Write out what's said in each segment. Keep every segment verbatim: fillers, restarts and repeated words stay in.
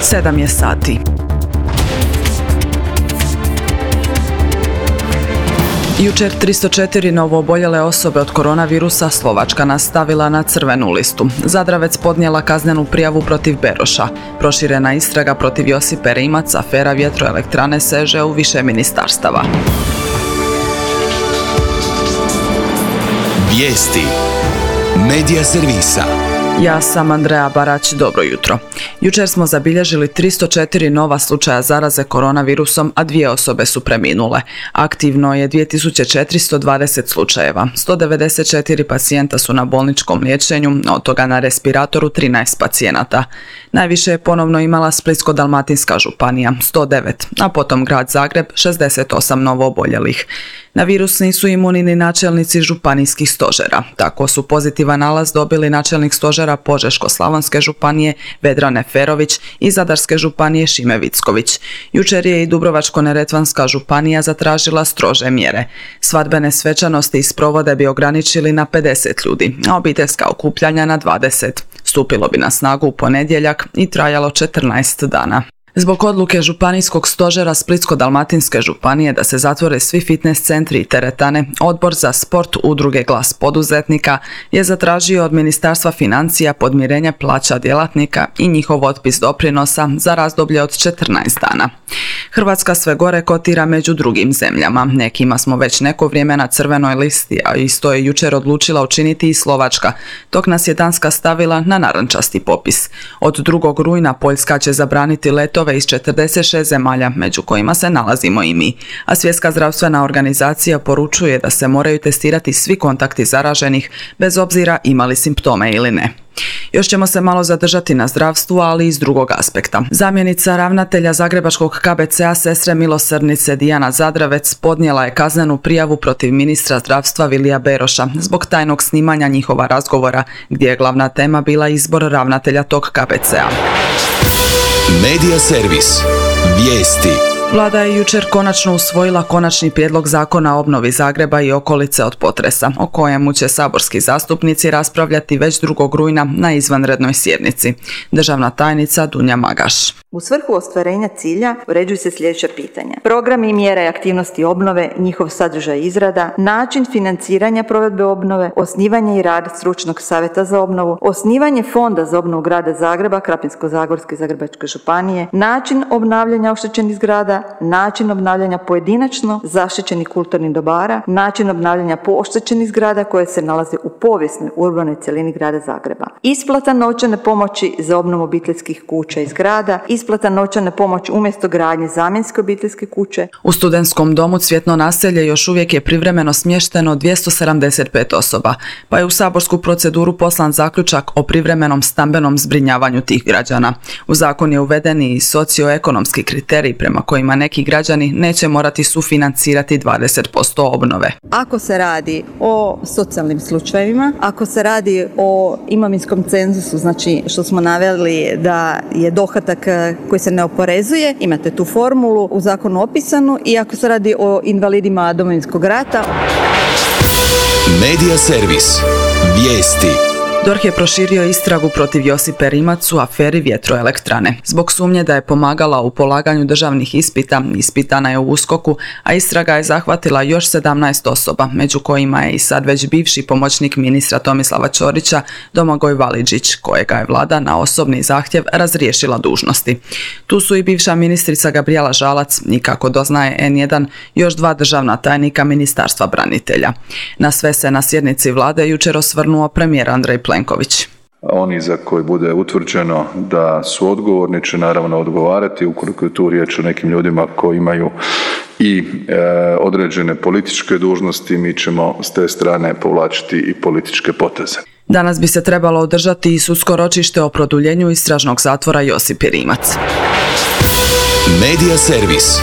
Sedam je sati. Jučer tristo četiri novooboljele osobe od koronavirusa, Slovačka nastavila na crvenu listu. Zadravec podnijela kaznenu prijavu protiv Beroša. Proširena istraga protiv Josipe Rimac, afera vjetroelektrane seže u više ministarstava. Vijesti Medija servisa. Ja sam Andreja Barać, dobro jutro. Jučer smo zabilježili tristo četiri nova slučaja zaraze koronavirusom, a dvije osobe su preminule. Aktivno je dvije tisuće četiristo dvadeset slučajeva. sto devedeset četiri pacijenta su na bolničkom liječenju, od toga na respiratoru trinaest pacijenata. Najviše je ponovno imala Splitsko-dalmatinska županija, sto devet, a potom grad Zagreb, šezdeset osam novooboljelih. Na virus nisu imuni ni načelnici županijskih stožera. Tako su pozitivan nalaz dobili načelnik stožera Požeško-slavonske županije Vedran Neferović i Zadarske županije Šime Vicković. Jučer je i Dubrovačko-neretvanska županija zatražila strože mjere. Svadbene svečanosti i sprovode bi ograničili na pedeset ljudi, a obiteljska okupljanja na dvadeset. Stupilo bi na snagu u ponedjeljak i trajalo četrnaest dana. Zbog odluke županijskog stožera Splitsko-dalmatinske županije da se zatvore svi fitness centri i teretane, Odbor za sport Udruge Glas poduzetnika je zatražio od Ministarstva financija podmirenje plaća djelatnika i njihov otpis doprinosa za razdoblje od četrnaest dana. Hrvatska sve gore kotira među drugim zemljama. Nekima smo već neko vrijeme na crvenoj listi, a isto je jučer odlučila učiniti i Slovačka, dok nas je Danska stavila na narančasti popis. Od drugog rujna Poljska će zabraniti letove iz četrdeset šest zemalja, među kojima se nalazimo i mi, a Svjetska zdravstvena organizacija poručuje da se moraju testirati svi kontakti zaraženih, bez obzira imali simptome ili ne. Još ćemo se malo zadržati na zdravstvu, ali iz drugog aspekta. Zamjenica ravnatelja Zagrebačkog K B C-a Sestre milosrdnice Dijana Zadravec podnijela je kaznenu prijavu protiv ministra zdravstva Vilija Beroša zbog tajnog snimanja njihova razgovora, gdje je glavna tema bila izbor ravnatelja tog K B C-a. Medija servis. Vijesti. Vlada je jučer konačno usvojila konačni prijedlog zakona o obnovi Zagreba i okolice od potresa, o kojemu će saborski zastupnici raspravljati već drugog rujna na izvanrednoj sjednici. Državna tajnica Dunja Magaš. U svrhu ostvarenja cilja uređuju se sljedeća pitanja: programi i mjere i aktivnosti obnove, njihov sadržaj i izrada, način financiranja provedbe obnove, osnivanje i rad stručnog savjeta za obnovu, osnivanje fonda za obnovu grada Zagreba, Krapinsko-zagorske i Zagrebačke županije, način obnavljanja oštećenih zgrada, način obnavljanja pojedinačno zaštićenih kulturnih dobara, način obnavljanja poštećenih zgrada koje se nalaze u povijesnoj urbanoj cjelini grada Zagreba, isplata novčane pomoći za obnovu obiteljskih kuća i zgrada, isplata novčane pomoći umjesto gradnje zamjenske obiteljske kuće. U studentskom domu Cvjetno naselje još uvijek je privremeno smješteno dvjesto sedamdeset pet osoba, pa je u saborsku proceduru poslan zaključak o privremenom stambenom zbrinjavanju tih građana. U zakon je uveden i socioekonomski kriterij prema kojima neki građani neće morati sufinancirati dvadeset posto obnove. Ako se radi o socijalnim slučajevima, ako se radi o imovinskom cenzusu, znači što smo naveli da je dohodak koji se ne oporezuje, imate tu formulu u zakonu opisanu, i ako se radi o invalidima Domovinskog rata. Medija servis. Vijesti. D O R H je proširio istragu protiv Josipe Rimac u aferi vjetroelektrane. Zbog sumnje da je pomagala u polaganju državnih ispita, ispitana je u USKOK-u, a istraga je zahvatila još sedamnaest osoba, među kojima je i sad već bivši pomoćnik ministra Tomislava Ćorića, Domagoj Validžić, kojega je vlada na osobni zahtjev razriješila dužnosti. Tu su i bivša ministrica Gabrijela Žalac i, kako doznaje N jedan, još dva državna tajnika Ministarstva branitelja. Na sve se na sjednici vlade jučer osvrnuo premijer Andrej Plenković. Oni za koje bude utvrđeno da su odgovorni će naravno odgovarati, ukoliko je tu riječ o nekim ljudima koji imaju i e, određene političke dužnosti, mi ćemo s te strane povlačiti i političke poteze. Danas bi se trebalo održati i sudsko ročište o produljenju istražnog zatvora Josipi Rimac. Medija servis.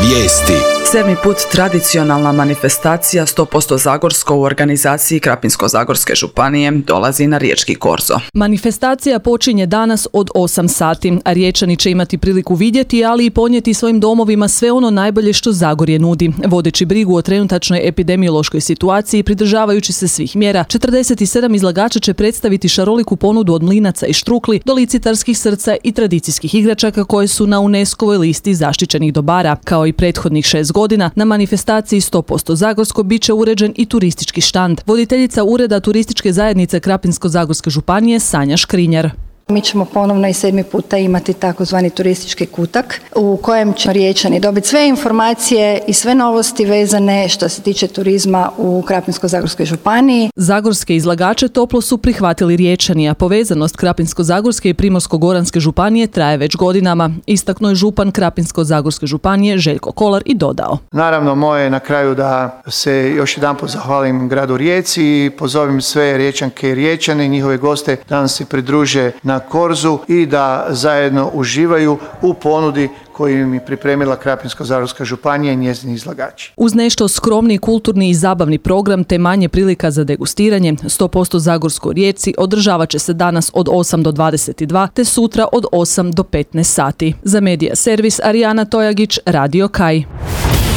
Vijesti. Sedmi put tradicionalna manifestacija sto posto Zagorsko u organizaciji Krapinsko-zagorske županije dolazi na riječki korzo. Manifestacija počinje danas od osam sati, a Riječani će imati priliku vidjeti, ali i ponijeti svojim domovima sve ono najbolje što Zagorje nudi. Vodeći brigu o trenutačnoj epidemiološkoj situaciji, pridržavajući se svih mjera, četrdeset sedam izlagača će predstaviti šaroliku ponudu od mlinaca i štrukli do licitarskih srca i tradicijskih igračaka koje su na UNESCO-voj listi zaštićenih dobara. Kao i prethodnih šest godina, na manifestaciji sto posto Zagorsko bit će uređen i turistički štand. Voditeljica Ureda turističke zajednice Krapinsko-zagorske županije Sanja Škrinjar. Mi ćemo ponovno i sedmi puta imati takozvani turistički kutak u kojem će Riječani dobiti sve informacije i sve novosti vezane što se tiče turizma u Krapinsko-zagorskoj županiji. Zagorske izlagače toplo su prihvatili Riječani, a povezanost Krapinsko-zagorske i Primorsko-goranske županije traje već godinama. Istaknuo je župan Krapinsko-zagorske županije Željko Kolar i dodao. Naravno, moje je na kraju da se još jedanput zahvalim gradu Rijeci i pozovem sve Riječanke i Riječane i njihove goste da nam se pridruže na korzu i da zajedno uživaju u ponudi koju im je pripremila Krapinsko-zagorska županija i njezini izlagači. Uz nešto skromni, kulturni i zabavni program te manje prilika za degustiranje, sto posto Zagorsko u Rijeci održavat će se danas od osam do dvadeset dva te sutra od osam do petnaest sati. Za Medija servis Arijana Tojagić, Radio Kaj.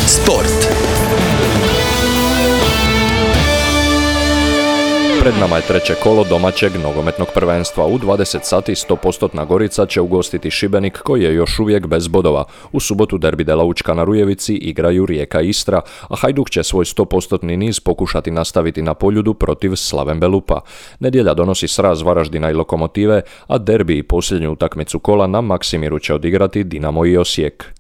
Sport. Pred nama je treće kolo domaćeg nogometnog prvenstva. U dvadeset sati sto posto Gorica će ugostiti Šibenik koji je još uvijek bez bodova. U subotu derbi Dela Učka na Rujevici igraju Rijeka i Istra, a Hajduk će svoj sto posto niz pokušati nastaviti na Poljudu protiv Slaven Belupa. Nedjelja donosi sraz Varaždina i Lokomotive, a derbi i posljednju utakmicu kola na Maksimiru će odigrati Dinamo i Osijek.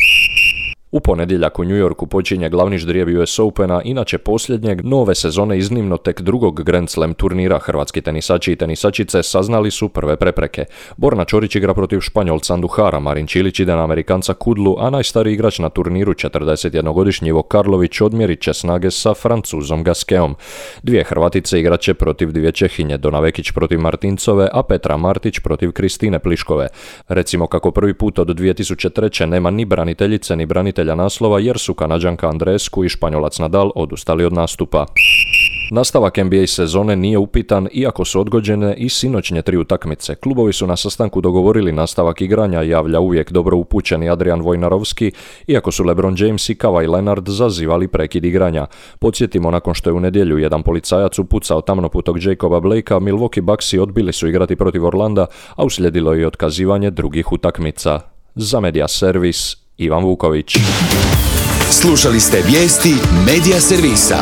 U ponedjeljak u New Yorku počinje glavni ždrijeb U S Opena, inače posljednjeg nove sezone iznimno tek drugog Grand Slam turnira. Hrvatski tenisači i tenisačice saznali su prve prepreke. Borna Čorić igra protiv Španjolca Anduhara, Marin Čilić ide na Amerikanca Kudlu, a najstariji igrač na turniru, četrdesetjednogodišnji Ivo Karlović, odmjerit će snage sa Francuzom Gasqueom. Dvije Hrvatice igrat će protiv dvije Čehinje, Dona Vekić protiv Martincove, a Petra Martić protiv Kristine Pliškove. Recimo kako prvi put od dvije tisuće treće nema ni braniteljice ni branitelja naslova jer su Kanađanka Andrescu i Španjolac Nadal odustali od nastupa. Nastavak N B A sezone nije upitan iako su odgođene i sinoćnje tri utakmice. Klubovi su na sastanku dogovorili nastavak igranja, javlja uvijek dobro upućeni Adrian Wojnarowski, iako su LeBron James i Kawhi Leonard zazivali prekid igranja. Podsjetimo, nakon što je u nedjelju jedan policajac upucao tamnoputog Jacoba Blakea, Milwaukee Bucksi odbili su igrati protiv Orlanda, a uslijedilo je i otkazivanje drugih utakmica. Za Medija servis Ivan Vuković. Slušali ste vijesti Medija servisa.